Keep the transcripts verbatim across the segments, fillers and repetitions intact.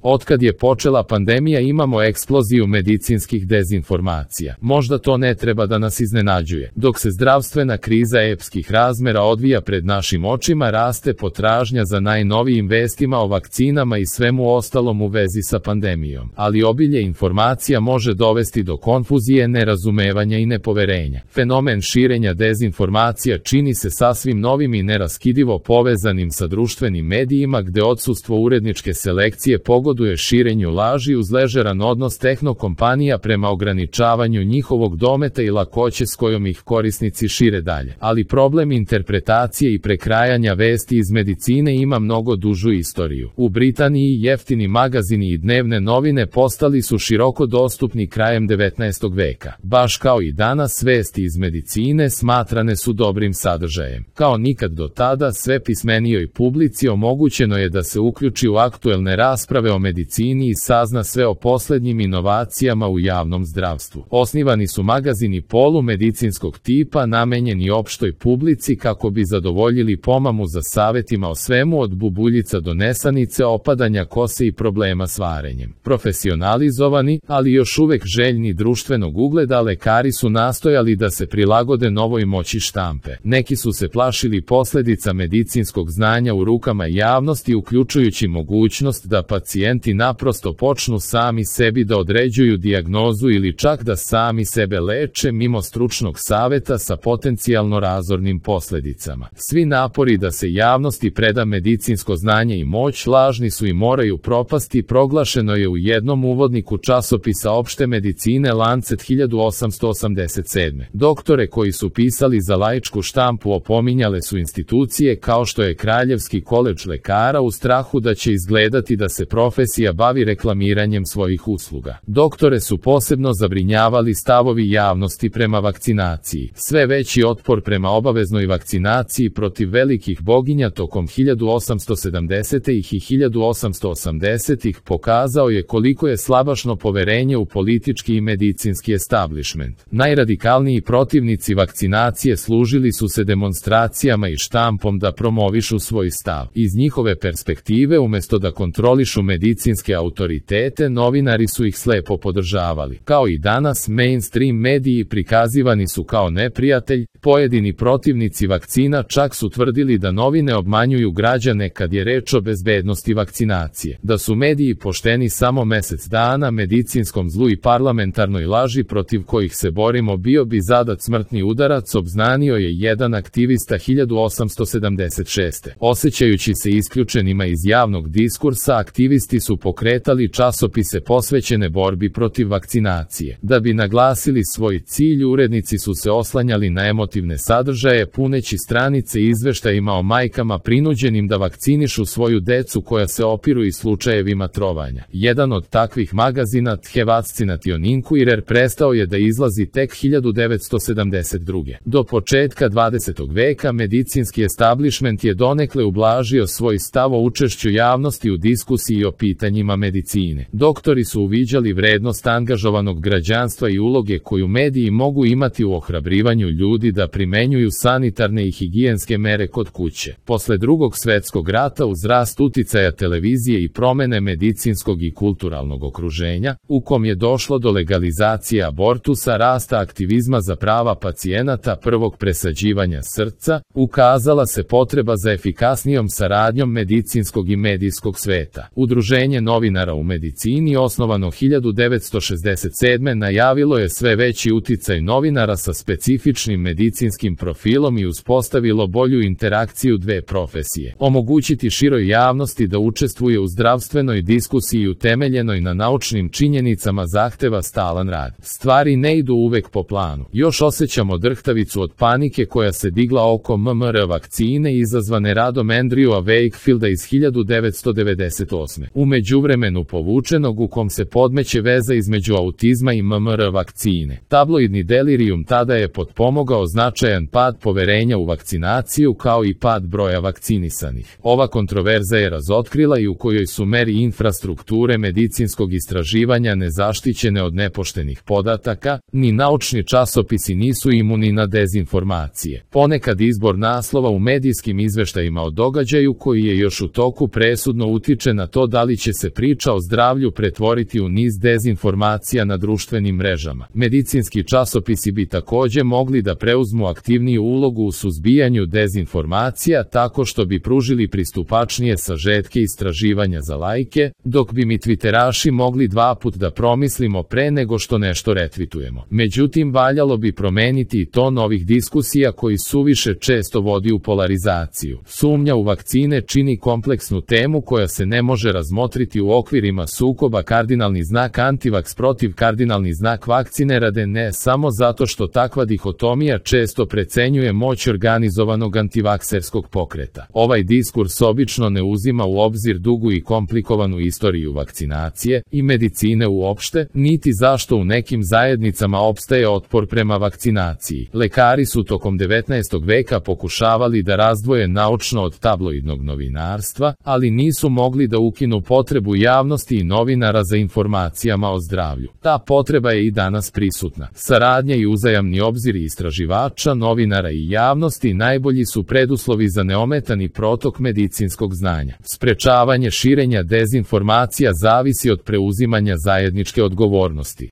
Otkad je počela pandemija imamo eksploziju medicinskih dezinformacija. Možda to ne treba da nas iznenađuje. Dok se zdravstvena kriza epskih razmera odvija pred našim očima, raste potražnja za najnovijim vestima o vakcinama i svemu ostalom u vezi sa pandemijom. Ali obilje informacija može dovesti do konfuzije, nerazumevanja i nepoverenja. Fenomen širenja dezinformacija čini se sasvim novim i neraskidivo povezanim sa društvenim medijima, gde odsustvo uredničke selekcije pogoduje širenju laži uz ležeran odnos tehnokompanija prema ograničavanju njihovog dometa i lakoće s kojom ih korisnici šire dalje. Ali problem interpretacije i prekrajanja vesti iz medicine ima mnogo dužu istoriju. U Britaniji jeftini magazini i dnevne novine postali su široko dostupni krajem devetnaestog veka. Baš kao i danas, vesti iz medicine smatrane su dobrim sadržajem. Kao nikad do tada, sve pismenijoj publici omogućeno je da se uključi u aktuelne rasprave o medicini i sazna sve o poslednjim inovacijama u javnom zdravstvu. Osnivani su magazini polumedicinskog tipa namenjeni opštoj publici kako bi zadovoljili pomamu za savetima o svemu od bubuljica do nesanice, opadanja kose i problema s varenjem. Profesionalizovani, ali još uvek željni društvenog ugleda, lekari su nastojali da se prilagode novoj moći štampe. Neki su se plašili posledica medicinskog znanja u rukama javnosti, uključujući mogućnost da pacijenti naprosto počnu sami sebi da određuju dijagnozu ili čak da sami sebe leče mimo stručnog saveta sa potencijalno razornim posledicama. Svi napori da se javnosti preda medicinsko znanje i moć lažni su i moraju propasti, proglašeno je u jednom uvodniku časopisa opšte medicine Lancet hiljadu osamsto osamdeset sedme. Doktore koji su pisali za laičku štampu opominjale su institucije kao što je Kraljevski koledž lekara u strahu da će izgledati da se profesija bavi reklamiranjem svojih usluga. Doktore su posebno zabrinjavali stavovi javnosti prema vakcinaciji. Sve veći otpor prema obaveznoj vakcinaciji protiv velikih boginja tokom hiljadu osamsto sedamdesetih i hiljadu osamsto osamdesetih pokazao je koliko je slabašno poverenje u politički i medicinski establishment. Najradikalniji protivnici vakcinacije služili su se demonstracijama i štampom da promovišu svoj stav. Iz njihove perspektive, umesto da kontrolišu medicinske autoritete, novinari su ih slepo podržavali. Kao i danas, mainstream mediji prikazivani su kao neprijatelj. Pojedini protivnici vakcina čak su tvrdili da novine obmanjuju građane kad je reč o bezbednosti vakcinacije. Da su mediji pošteni samo mesec dana medicinskom zlu i parlamentarnoj laži protiv kojih se borimo bio bi zadat smrtni udarac, obznanio je jedan aktivista hiljadu osamsto sedamdeset šeste. Osjećajući se isključenima iz javnog diskursa, aktivisti su pokretali časopise posvećene borbi protiv vakcinacije. Da bi naglasili svoj cilj, urednici su se oslanjali na emotivne sadržaje, puneći stranice izveštajima o majkama prinuđenim da vakcinišu svoju decu koja se opiru i slučajevima trovanja. Jedan od takvih magazina, Tjevaccination Inquirer, prestao je da izlazi tek hiljadu devetsto sedamdeset druge. Do početka dvadesetog veka medicinski establishment je donekle ublažio svoj stav o učešću javnosti u diskusiji o pitanjima medicine. Doktori su uviđali vrednost angažovanog građanstva i uloge koju mediji mogu imati u ohrabrivanju ljudi da primenjuju sanitarne i higijenske mere kod kuće. Posle Drugog svetskog rata, uz rast uticaja televizije i promene medicinskog i kulturalnog okruženja, u kom je došlo do legalizacije abortusa, rasta aktivizma za prava pacijenata, prvog presađivanja srca, ukazala se potreba za efikasnijom saradnjom medicinskog i medijskog sveta. Udruženje novinara u medicini, osnovano hiljadu devetsto šezdeset sedme, najavilo je sve veći uticaj novinara sa specifičnim medicinskim profilom i uspostavilo bolju interakciju dve profesije. Omogućiti široj javnosti da učestvuje u zdravstvenoj diskusiji utemeljenoj na naučnim činjenicama zahteva stalan rad. Stvari ne idu uvek po planu. Još osjećamo drhtavicu od panike koja se digla oko M M R vakcine izazvane radom Andrewa Wakefielda iz hiljadu devetsto devedeset osme. U međuvremenu povučenog, u kom se podmeće veza između autizma i M M R vakcine. Tabloidni delirium tada je potpomogao značajan pad poverenja u vakcinaciju kao i pad broja vakcinisanih. Ova kontroverza je razotkrila i u kojoj su meri infrastrukture medicinskog istraživanja nezaštićene od nepoštenih podataka, ni naučni časopisi nisu imuni na dezinformacije. Ponekad izbor naslova u medijskim izveštajima o događaju koji je još u toku presudno utiče na to da li li će se priča o zdravlju pretvoriti u niz dezinformacija na društvenim mrežama. Medicinski časopisi bi takođe mogli da preuzmu aktivniju ulogu u suzbijanju dezinformacija tako što bi pružili pristupačnije sažetke istraživanja za lajke, dok bi mi twitteraši mogli dva put da promislimo pre nego što nešto retvitujemo. Međutim, valjalo bi promeniti i ton ovih diskusija koji suviše često vodi u polarizaciju. Sumnja u vakcine čini kompleksnu temu koja se ne može razmotriti u okvirima sukoba kardinalni znak antivaks protiv kardinalni znak vakcine rade ne samo zato što takva dihotomija često precenjuje moć organizovanog antivakserskog pokreta. Ovaj diskurs obično ne uzima u obzir dugu i komplikovanu istoriju vakcinacije i medicine uopšte, niti zašto u nekim zajednicama opstaje otpor prema vakcinaciji. Lekari su tokom devetnaestog veka pokušavali da razdvoje naučno od tabloidnog novinarstva, ali nisu mogli da ukinu potrebu javnosti i novinara za informacijama o zdravlju. Ta potreba je i danas prisutna. Saradnja i uzajamni obzir istraživača, novinara i javnosti najbolji su preduslovi za neometani protok medicinskog znanja. Sprečavanje širenja dezinformacija zavisi od preuzimanja zajedničke odgovornosti.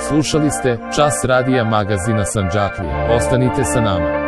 Slušali ste Čas radija magazina Sandžaklija. Ostanite sa nama.